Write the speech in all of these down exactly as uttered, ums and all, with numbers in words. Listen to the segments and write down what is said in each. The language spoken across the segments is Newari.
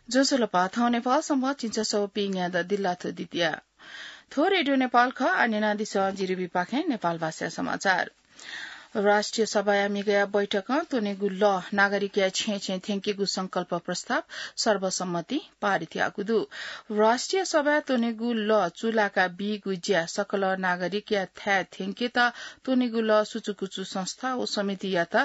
ज्वजलपा, थौं नेपाल संवत् झिंछसः व पीन्यादँ दिल्लाथ्व द्वितीया। थ्व रेडियो नेपाल खः। आः न्यनादिसँ जिरिबीपाखें नेपाल भाषाया समाचार। राष्ट्रिय सभाया म्हिगःया बैठकं त्वनेगु लः नागरिकया छेँय् छेँय् थ्यंकेगु संकल्प प्रस्ताव सर्वसम्मतिं पारित याःगु दु। राष्ट्रिय सभाय् त्वनेगु लः चूलाका बीगु ज्या सकल नागरिकया थाय् थ्यंकेत त्वनेगु लः सुचुकुचु संस्था व समितियात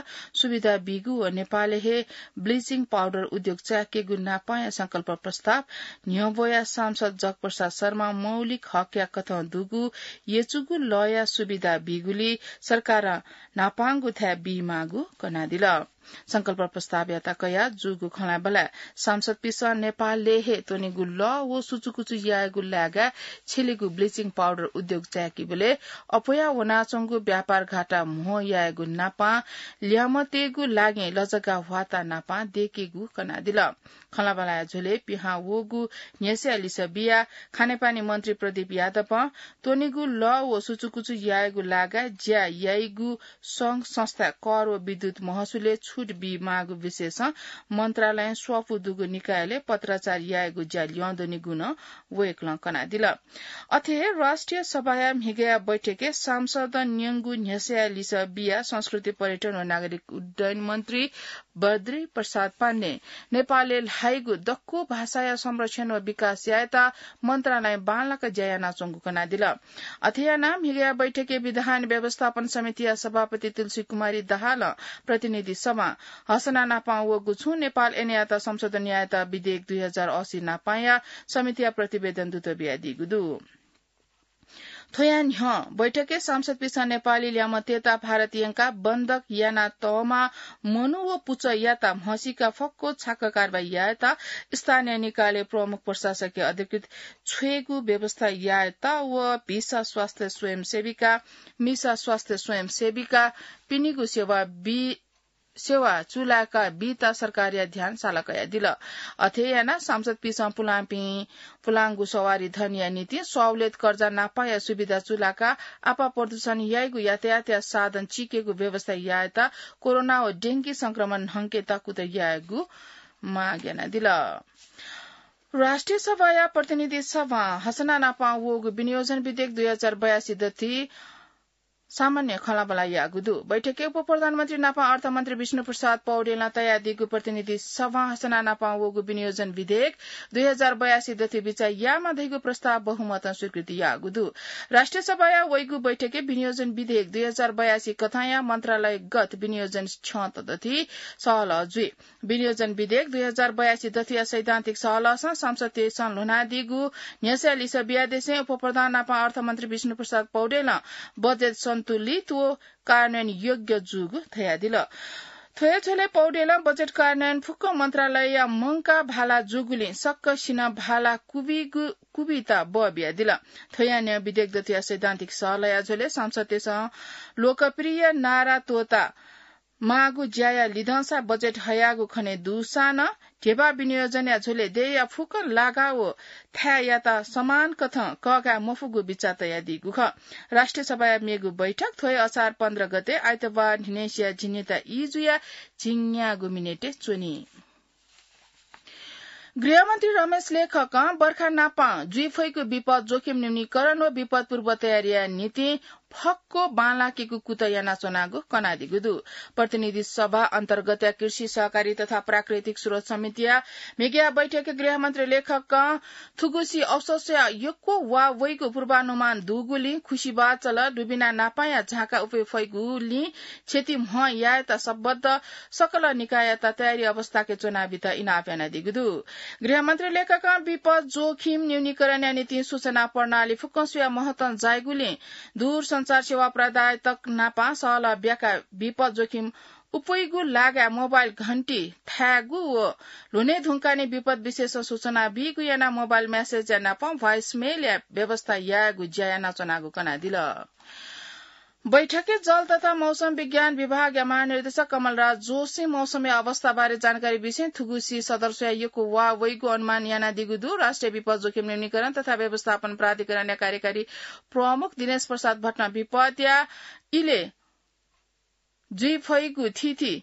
सुविधा बीगु व नेपालय् हे ब्लिचिङ पाउडर उद्योग चाय्‌केगु न्हापांया संकल्प प्रस्ताव न्ह्यब्वया सांसद जगप्रसाद शर्मां मौलिक हकया कथं दुगु यचुगु लःया सुविधा बीगुलिं सरकारं न्हापांगु थाय् बीमाःगु कनादिल। संकल्प प्रस्तावयात कयाः जूगु खँल्हाबल्हाय् सांसदपिन्सं नेपालय् हे त्वनेगु लः व सुचुकुचु यायेगु लाय्‌गाय् छ्यलेगु ब्लिचिङ पाउडर उद्योग चाय्‌केबलय् अप्वया वनाच्वंगु व्यापार घाटा म्हो यायेगु नापां ल्यामतेगु लागिं लजगाः ह्वाता नापां दयेकेगु कनादिल। खँल्हाबल्हाया झ्वलय् पिहां वःगु न्ह्यसःया लिसः बियाः खानेपानी मन्त्री प्रदीप यादवं त्वनेगु लः व सुचुकुचु यायेगु लाय्‌गाय् ज्या याइगु संघ संस्थाय् कर व विद्युत महसुलय् छुट बीमाःगु विषयसं मन्त्रालयं स्वापू दुगु निकायलय् पत्राचार यायेगु ज्या ल्यं दनिगु नं वय्‌कलं कनादिल। अथे हे राष्ट्रिय सभाया म्हिगःया बैठकय् सांसदं न्यंगु न्ह्यसःया लिसः बियाः संस्कृति, पर्यटन व नागरिक उड्डयन मन्त्री बद्री प्रसाद पाण्डें नेपालय् ल्हाइगु दक्व भाषाया संरक्षण व विकास यायेत मन्त्रालयं बांलाक ज्या यानाच्वंगु कनादिल। अथे यानाः म्हिगःया बैठकय् विधान व्यवस्थापन समितिया सभापति तुलसी कुमारी दाहालं प्रतिनिधि सभां हसना नापां वःगु छुं नेपाल ऐनयात संशोधन यायेत विधेयक दुई हजार असी नापांया समितिया प्रतिवेदन दुत बियादीगु दु। थ्वया न्ह्यः बैठकय् सांसदपिन्सं नेपाली ल्यामतेत भारत यंकाः बन्धक यानातःम्ह मनू व पुचःयात म्हसीका फक्व छाकः कारवाही यायेत स्थानीय निकायलय् प्रमुख प्रशासकीय अधिकृत छ्वयेगु व्यवस्था यायेत व भिसा स्वास्थ्य स्वयंसेविका, मिसा स्वास्थ्य स्वयंसेविका पिनिगु सेवा बी सेवा चूलाका बीत सरकारया ध्यान साला कयादिल। अथे यानाः सांसदपिन्सं पुलांपिं पुलांगु सवारी धनया निंतिं सहुलियत कर्जा नापाया सुविधा चूलाका आपा प्रदूषण याइगु यातायातया साधन चिकेगु व्यवस्था यायेत कोरोना व डेंगी संक्रमण न्हंकेत कुतः यायेगु माग यानादिल। राष्ट्रिय सभाया प्रतिनिधि सभां हसना नापां वःगु विनियोजन विधेयक दुई हजार बयासी दथुइ सामान्य खँल्हाबल्हा याःगु दु। बैठकय् उपप्रधानमन्त्री नापं अर्थमन्त्री विष्णुप्रसाद पौडेलं तयादीगु प्रतिनिधि सभां हसना नापं वःगु विनियोजन विधेयक दुई हजार बयासी दथुइ बिचाः यायेमाः धइगु प्रस्ताव बहुमतं स्वीकृति याःगु दु। राष्ट्रिय सभाया वइगु बैठकय् विनियोजन विधेयक दुई हजार बयासी कथंया मन्त्रालयगत विनियोजन क्षमता दथुइ सहलह जुइ। विनियोजन विधेयक दुई हजार बयासी दथुया सैद्धान्तिक सहलहसं संसदय् ल्ह्वनादीगु न्ह्यसःया लिसः बियादिसें उपप्रधान नापं अर्थमन्त्री विष्णुप्रसाद पौडेलं बजेट सन्तुलित व कार्यान्वयन योग्य जूगु धयादिल। थ्वया झ्वलय् पौडेलं बजेट कार्यान्वयन फुक्क मन्त्रालयया मंकाः भाला जूगुलिं सकसिनं भाला कुबिगु, कुबीत बः बियादिल। थ्वया न्ह्यः विधेयक दथुया सैद्धान्तिक सहलहया झ्वलय् संसदय् लोकप्रिय नारा त्वःता माःगु ज्याया लिधंसा बजेट हयागु खने दुसां नं ध्यबा विनियोजनया झ्वलय् देय्‌या फुक्क लागा व थाय्‌यात समान कथं कःघाये मफुगु बिचाः तयादीगु खः। राष्ट्रिय सभाया मेगु बैठक थ्व हे असार पन्ध्र गते आइतबार न्हिनय्‌सिया झिंनिता ई जुयाः झिंन्यागू मिनेटय् च्वनी। गृहमन्त्री रमेश लेखकं बर्खा नापं जुइफइगु विपद जोखिम न्यूनीकरण व विपद पूर्व तयारीया निंतिं फक्व बांलाकेगु कुतः यानाच्वनागु कनादीगु दु। प्रतिनिधि सभा अन्तर्गतया कृषि, सहकारी तथा प्राकृतिक स्रोत समितिया म्हिगःया बैठकय् गृहमन्त्री लेखकं थुगुसी औसतया यक्व वा वइगु पूर्वानुमान दुगुलिं खुसि बाचल दुबिना नापांया झाँका उपय् फइगुलिं क्षति म्हं यायेत सम्बद्ध सकल निकाययात तयारी अवस्थाके च्वनाबीत इनाप यानादीगु दु। गृहमन्त्री लेखकं विपद जोखिम न्यूनीकरणया निंतिं सूचना प्रणाली फुक्कं स्वयाः महत्वं जाइगुलिं दूरसञ्चार सेवा प्रदायकत नापं सहलह ब्याकाः विपद जोखिम उपय्‌गु लागाय् मोबाइल घण्टी थायेगु व ल्ह्वने धुंकाःनिं विपद विषयसं सूचना बीगु यानाः मोबाइल म्यासेजया नापं भोइसमेलया व्यवस्था यायेगु ज्या यानाच्वनागु कनादिल। बैठकय् जल तथा मौसम विज्ञान विभागया महानिर्देशक कमलराज जोशीं मौसमया अवस्थाबारे जानकारी बिसें थुगुसी सदर स्वयाः यक्व वा वइगु अनुमान यानादीगु दु। राष्ट्रिय विपद जोखिम न्यूनीकरण तथा व्यवस्थापन प्राधिकरणया कार्यकारी प्रमुख दिनेश प्रसाद भट्टं विपदया इलय् जुइफइगु थीथी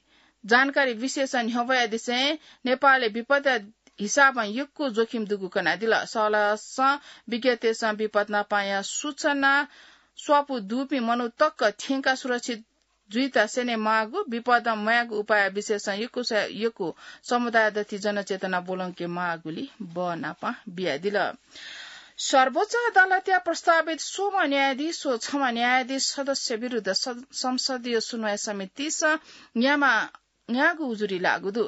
जानकारी विशेष न्ह्यब्वयादिसें नेपालय् विपदया हिसाबं यक्व जोखिम दुगु कनादिल। सलसं विज्ञतय्सं विपद नापांया सूचना स्वापू दुपिं मनू तक थ्यंकाः सुरक्षित जुइत स्यने माःगु, विपदं मयाःगु उपाय विषयसं यक्वसिनं यक्व समुदाय दथुइ जनचेतना ब्वलंके माःगुली बः नापां बियादिल। सर्वोच्च अदालतया प्रस्तावित स्वम्ह न्यायाधीश व छम्ह न्यायाधीश सदस्य विरुद्ध स-, संसदीय सुनवाई समितिसं न्यामा न्यागू उजुरी लाःगु दु।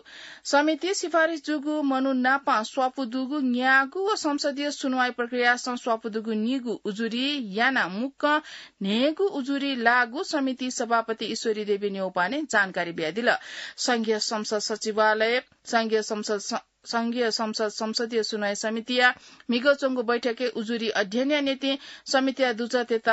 समितिं सिफारिस जूगु मनू नाप स्वापू दुगु न्यागू व संसदीय सुनवाई प्रक्रियासं स्वापू दुगु निगू उजुरी यानाः मुक्कं न्हय्गू उजुरी लाःगु समिति सभापति ईश्वरी देवी न्यौपाने जानकारी बियादिल। संघीय संसद सचिवालय, संघीय संसद स-, संघीय संसद संसदीय सुनवाई समितिया म्हिगः च्वंगु बैठकय् उजुरी अध्ययनया निंतिं समितिया दुजःतय्त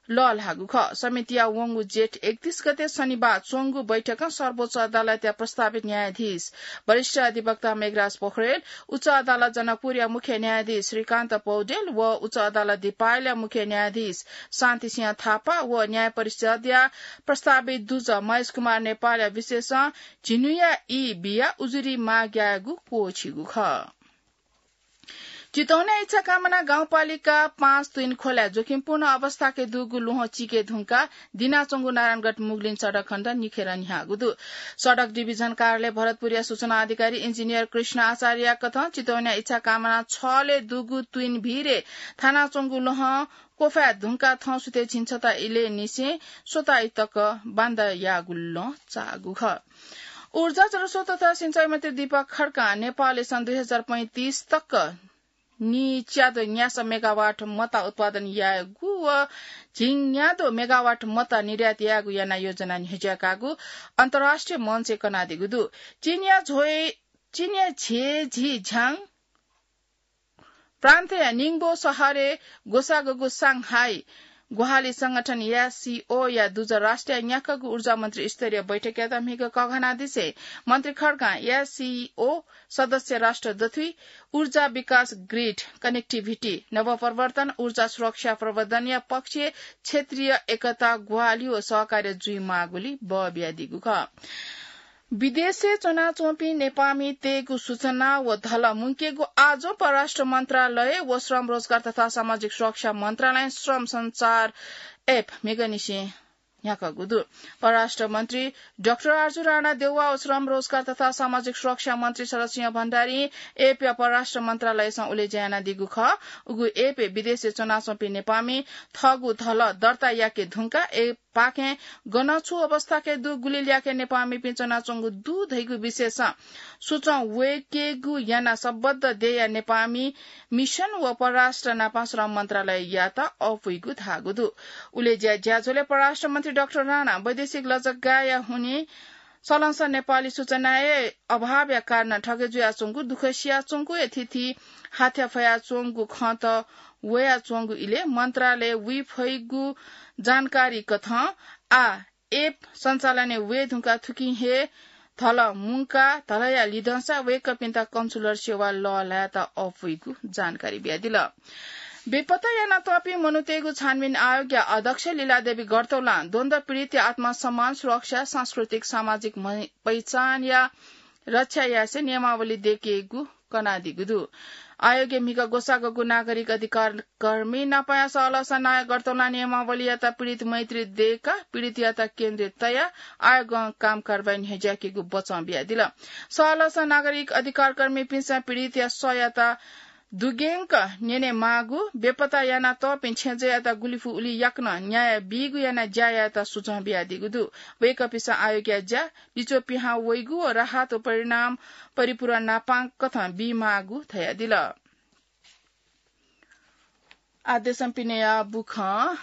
लःल्हाःगु खः। समितिया वंगु जेठ एकतीस गते शनिबार च्वंगु बैठकं सर्वोच्च अदालतया प्रस्तावित न्यायाधीश वरिष्ठ अधिवक्ता मेघराज पोखरेल, उच्च अदालत जनकपुरया मुख्य न्यायाधीश श्रीकान्त पौडेल व उच्च अदालत दिपायलया मुख्य न्यायाधीश शान्ति सिंह थापा व न्याय परिषदया प्रस्तावित दुजः महेश कुमार नेपालया विषयसं झिन्हुया ई बियाः उजुरी माग यायेगु क्वःछिगु खः। चितवनया इच्छाकामना गाउँपालिका पाँच तुइन खोलाय् जोखिमपूर्ण अवस्थाय् दुगु ल्वहं चिके धुंकाः दिनाच्वंगु नारायणगढ मुगलिन सडक खण्ड निखेर न्ह्याःगु दु। सडक डिभिजन कार्यालय भरतपुरया सूचना अधिकारी इन्जिनियर कृष्ण आचार्यया कथं चितवनया इच्छाकामना छलय् दुगु तुइन भिरय् थानाच्वंगु ल्वहं क्वफाय् धुंकाः थौंसुथय् झिंछता इलय् निसें स्वता ई तक बान्दा याःगु लं चाःगु खः। ऊर्जा, जलस्रोत तथा सिंचाई मन्त्री दीपक खड्कां नेपालय् सन् दुई हजार पैंतिस तक नीच्याद्वः न्यासः मेगावाट मता उत्पादन यायेगु व झिंन्याद्वः मेगावाट मता निर्यात यायेगु याना योजना न्ह्यज्याकागु अन्तर्राष्ट्रिय मञ्चय् कनादीगु दु। चीनया झ्वय्, चीनया झेझिझ्याङ प्रान्तया निङबो शहरय् ग्वसाःगु सांघाई ग्वाहालि संगठन एससिओया दुजः राष्ट्रिय न्याक्वःगु ऊर्जा मन्त्री स्तरीय बैठकयात म्हिगः कघानादिसें मन्त्री खड्कां एससिओ सदस्य राष्ट्र दथुइ ऊर्जा विकास, ग्रिड कनेक्टिभिटी, नवप्रवर्तन, ऊर्जा सुरक्षा प्रवर्धनया पक्षय् क्षेत्रीय एकता, ग्वाहालि व सहकार्य जुइमाःगुली बः बियादीगु खः। विदेशय् च्वनाच्वंपिं नेपाःमितय्गु सूचना व धलः मुंकेगु आजं परराष्ट्र मन्त्रालय व श्रम, रोजगार तथा सामाजिक सुरक्षा मन्त्रालयं श्रम सञ्चार एप म्हिगःनिसें न्ह्याकागु दु। परराष्ट्र मन्त्री डाक्टर आरजु राणा देउवा व श्रम, रोजगार तथा सामाजिक सुरक्षा मन्त्री शरद सिंह भण्डारीं एपया परराष्ट्र मन्त्रालयसं उलेज्या यानादीगु खः। उगु एपय् विदेशय् च्वनाच्वंपिं नेपाःमि थःगु धलः दर्ता याके धुंकाः एप पाखें गन छु अवस्थाय् दु, गुलि ल्याखय् नेपाःमिपिं च्वनाच्वंगु दु धइगु विषयसं सूचं वय्केगु यानाः सम्बद्ध देय्या नेपाःमि मिसन व परराष्ट्र नापं श्रम मन्त्रालययात अःपुइगु धाःगु दु। उलेज्या ज्याझ्वलय् परराष्ट्र मन्त्री डाक्टर राणा वैदेशिक लजगाःया हुनिं सलंसं नेपाली सूचनाया अभावया कारणं ठगे जुयाच्वंगु, दुःख सियाच्वंगु, यथिथि हाथ्या फयाच्वंगु खँत वयाच्वंगु इलय् मन्त्रालयय् वइफइगु जानकारी कथं आः एप सञ्चालनय् वये धुंकाः थुकिं हे धलः मुंकाः धलःया लिधंसा वय्कःपिन्त कन्सुलर सेवा लःल्हायेत अःपुइगु जानकारी बियादिल। बेपत्ता यानातःपिं मनूतय्गु छानबिन आयोगया अध्यक्ष लीलादेवी गरतौलां द्वन्द्व पीडितया आत्मसम्मान, सुरक्षा, सांस्कृतिक, सामाजिक मै-, पहिचानया रक्षा यासें नियमावली दयेकेगु कनादीगु दु। आयोगय् म्हिगः ग्वसाःगु नागरिक अधिकार कर्मी नापंया सहलहसं नायः गरतौलां नियमावलीयात पीडित मैत्री दयेकाः पीडितयात केन्द्रय् तयाः आयोगं काम कारवाही न्ह्यज्याकेगु बचं बियादिल। सहलहसं नागरिक अधिकार कर्मीपिन्सं पीडितया सःयात दुग्यंक न्यने माःगु, बेपत्ता यानातःपिं छेँजःयात गुलिफु उलि याकनं न्याय बीगु यानाः ज्या यायेत सुझाव बियादीगु दु। वय्कःपिन्सं आयोगया ज्या लिच्वः पिहां वइगु व राहत व परिणाम परिपूरण नापं कथं बीमाःगु धयादिल। आः देशं पिनेया बुखँ।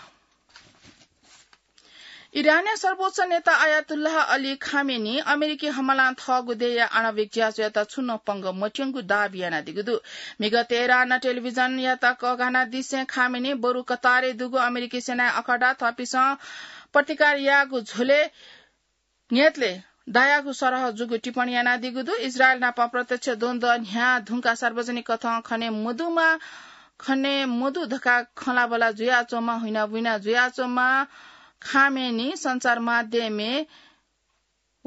इरानया सर्वोच्च नेता आयातुल्लाह अली खामेनी अमेरिकी हमलां थःगु देय्या आणविक ज्याझ्वःयात छुं नं पंगः मत्यंगु दाबी यानादीगु दु। म्हिगः तेहरानं टेलिभिजनयात कःघानादिसें खामेनी बरु कतारय् दुगु अमेरिकी सेनाया अखडा थःपिन्सं प्रतिकार याःगु झ्वलय् न्यतले दायागु सरह जूगु टिप्पणी यानादीगु दु। इजरायल नाप प्रत्यक्ष द्वन्द्व न्ह्याः धुंकाः सार्वजनिक कथं खने मदुमा, खने मदु धकाः खँल्हाबल्हा जुयाच्वंम्ह, हुइनाबुइना जुयाच्वंम्ह खामेनी सञ्चार माध्यमय्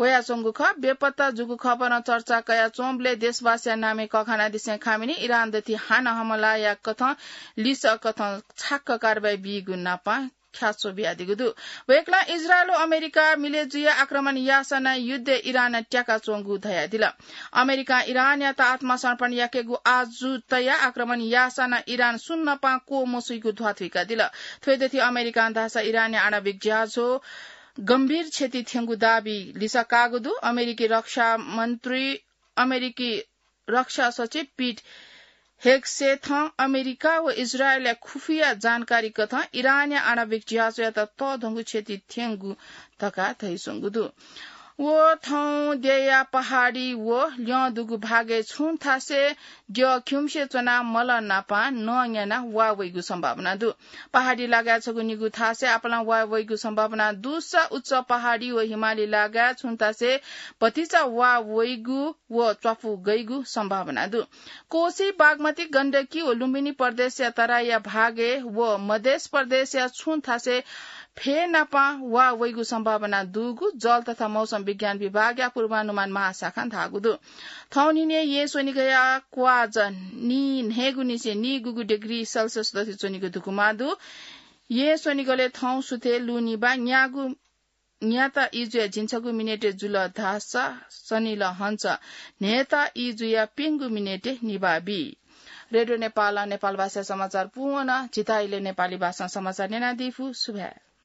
वयाच्वंगु खः। बेपत्ता जूगु खबरं चर्चा कयाच्वंबलय् देशवासीया नामय् कःघानादिसें खामिनि इरान दथि हानं हमला याकथं लिसः कथं छाक्क कारवाही बीगु नापं ख्याच्वः बियादीगु दु। वय्कलं इजरायल व अमेरिका मिले जुयाः आक्रमण याःसा नं युद्धय् इरान त्याकाच्वंगु धयादिल। अमेरिकां इरानयात आत्मसमर्पण याकेगु आजु तयाः आक्रमण याःसा नं इरान सुं नपां क्वमसुइगु ध्वाथुइकादिल। थ्वय्दथि अमेरिकां धाःसा इरानया आणविक ज्याझ्वः गम्भीर क्षति थ्यंगु दाबी लिसः काःगु दु। अमेरिकी रक्षा मन्त्री, अमेरिकी रक्षा सचिव पिट हेगसेथं अमेरिका व इजरायलया खुफिया जानकारी कथं इरानया आणविक ज्याझ्वःयात तःधंगु क्षति थ्यंगु धकाः धयाच्वंगु दु। व थौं देय्या पहाडी व ल्यं दुगु भागय् छुं थासय् द्यः खिउँसे च्वनाः मलं नापं नं न्यानाः वा वइगु सम्भावना दु। पहाडी लागाय् छगू निगू थासय् आपालं वा वइगु सम्भावना दुसा उच्च पहाडी व हिमाली लागाय् छुं थासय् भतिचा वा वइगु व च्वापु गइगु सम्भावना दु। कोसी, बागमती, गण्डकी व लुम्बिनी प्रदेशया तराईया भागय् व मधेश प्रदेशया छुं थासय् फय् नापं वा वइगु सम्भावना दुगु जल तथा मौसम विज्ञान विभागया पूर्वानुमान महाशाखां धाःगु दु। थौं न्हिनय् येँ स्वनिगःया क्वाःज नीन्हय्गुनिसें नीगुगु डिग्री सेल्सियस दथि च्वनीगु धुकुमा दु। येँ स्वनिगलय् थौं सुथय् लुनिबा न्यागू न्याता इजुया झिंछगू मिनेटय् जुल धाःसा सनिल हंस न्हय्ता इजुया प्यंगू मिनेटय् निभाः बी। रेडियो नेपालं नेपाल भाषाय् समाचार पूवन। झीथाय् इलय् नेपाली भाषां समाचार न्यनादीफु। सुभाय्।